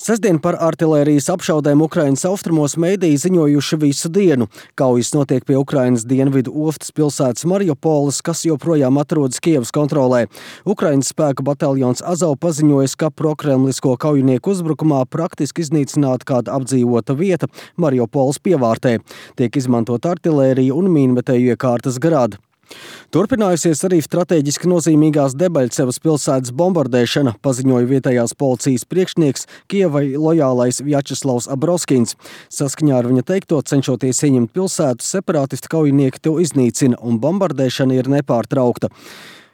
Sestdien par artilērijas apšaudēm Ukrainas austrumos mediji ziņojuši visu dienu. Kaujas notiek pie Ukrainas dienvidu ostas pilsētas Mariupoles, kas joprojām atrodas Kievas kontrolē. Ukrainas spēku bataljons Azov paziņojas, ka prokremlisko kaujinieku uzbrukumā praktiski iznīcināta kāda apdzīvota vieta Mariupoles pievārtē. Tiek izmantot artilērija un mīnmetēju iekārtas grādi. Turpinājusies arī strateģiski nozīmīgās Debaļcevas pilsētas bombardēšana, paziņoja vietējās policijas priekšnieks Kievai lojālais Vjačeslavs Abroskins. Saskaņā ar viņa teikto, cenšoties ieņemt pilsētu, separātisti kaujinieki to iznīcina un bombardēšana ir nepārtraukta.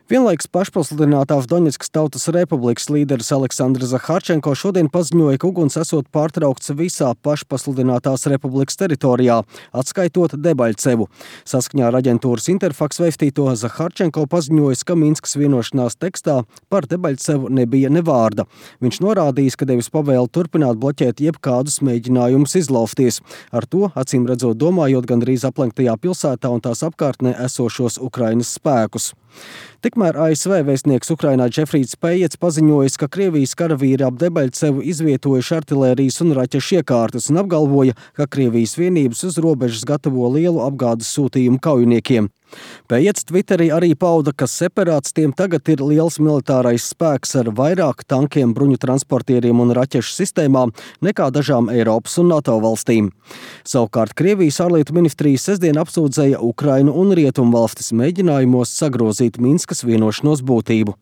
Vienlaikus pašpasludinātās Doņetskas Tautas Republikas līderis Aleksandrs Zaharčenko šodien paziņoja, ka uguns esot pārtraukts visā pašpasludinātās republikas teritorijā, atskaitot Debaļcevu. Saskaņā ar aģentūras Interfax veistīto Zaharčenko paziņoja, ka Minskas vienošanās tekstā par Debaļcevu nebija ne vārda. Viņš norādījis, ka devis pavēli turpināt bloķēt jebkādus mēģinājumus izlaufties. Ar to, acīm redzot, domājot gandrīz aplenktajā pilsētā un tās apkārtnē esošos Ukrainas spēkus. Tikmēr ASV vēstnieks Ukrainā Džefrīds Pējets paziņojis, ka Krievijas karavīri ap Debaļcevu izvietojuši artilērijas un raķešu iekārtas un apgalvoja, ka Krievijas vienības uz robežas gatavo lielu apgādes sūtījumu kaujiniekiem. Pējets Twitterī arī pauda, ka separātistiem tagad ir liels militārais spēks ar vairāk tankiem, bruņu transportieriem un raķešu sistēmām nekā dažām Eiropas un NATO valstīm. Savukārt Krievijas ārlietu ministrija sestdien apsūdzēja Ukrainu un Rietumvalstis mēģinājumos sagrozīt Minskas vienošanos būtību.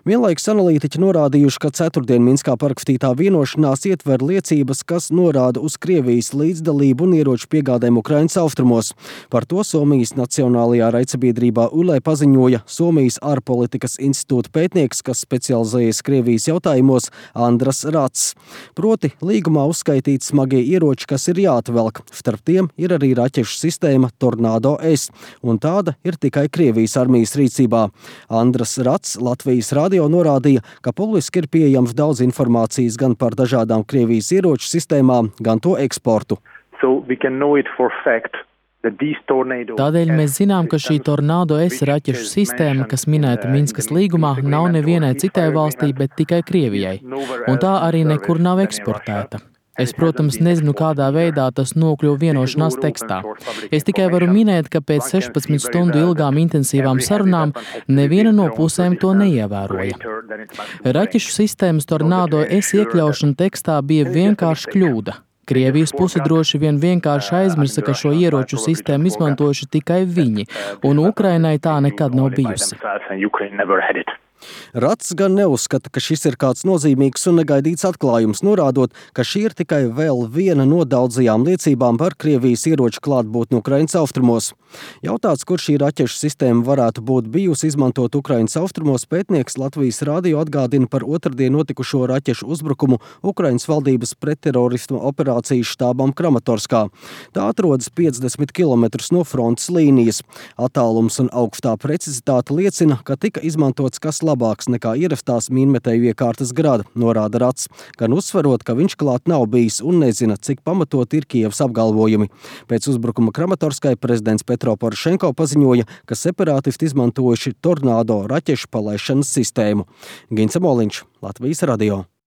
Vienlaikus analītiķi norādījuši, ka ceturtdien Minskā parakstītā vienošanās ietver liecības, kas norāda uz Krievijas līdzdalību un ieroču piegādēm Ukrainas austrumos. Par to Somijas Nacionālajā raidsabiedrībā ULE paziņoja Somijas ārpolitikas institūta pētnieks, kas specializējas Krievijas jautājumos, Andras Rats. Proti, līgumā uzskaitīti smagie ieroči, kas ir jāatvelk. Starp tiem ir arī raķešu sistēma Tornado S, un tāda ir tikai Krievijas armijas rīcībā. Andras Rats Latvijas radio norādīja, ka publiski ir pieejams daudz informācijas gan par dažādām Krievijas ieroču sistēmām, gan to eksportu. Tādēļ mēs zinām, ka šī Tornado S raķešu sistēma, kas minēta Minskas līgumā, nav nevienai citai valstī, bet tikai Krievijai, un tā arī nekur nav eksportēta. Es, protams, nezinu, kādā veidā tas nokļuva vienošanās tekstā. Es tikai varu minēt, ka pēc 16 stundu ilgām intensīvām sarunām neviena no pusēm to neievēroja. Raķešu sistēmas Tornado S iekļaušana tekstā bija vienkārši kļūda. Krievijas puse droši vien vienkārši aizmirsa, ka šo ieroču sistēmu izmantojuši tikai viņi, un Ukrainai tā nekad nav bijusi. Rats gan neuzskata, ka šis ir kāds nozīmīgs un negaidīts atklājums, norādot, ka šī ir tikai vēl viena no daudzajām liecībām par Krievijas ieroču klātbūtni Ukrainas austrumos. Jautāts, kur šī raķešu sistēma varētu būt bijusi izmantot Ukrainas austrumos, pētnieks Latvijas radio atgādina par otrdien notikušo raķešu uzbrukumu Ukrainas valdības pretterorisma operācijas štābam Kramatorskā. Tā atrodas 50 km no frontes līnijas. Attālums un augstā precizitāte liecina, ka tika izmantots kas labāks nekā ierastās mīnmetēju iekārtas grada, norāda Rats, gan uzsverot, ka viņš klāt nav bijis un nezina, cik pamatot ir Kievas apgalvojumi. Pēc uzbrukuma Kramatorskai prezidents Petro Porošenko paziņoja, ka separātisti izmantojuši Tornado raķešu palaišanas sistēmu. Gints Moliņš, Latvijas radio.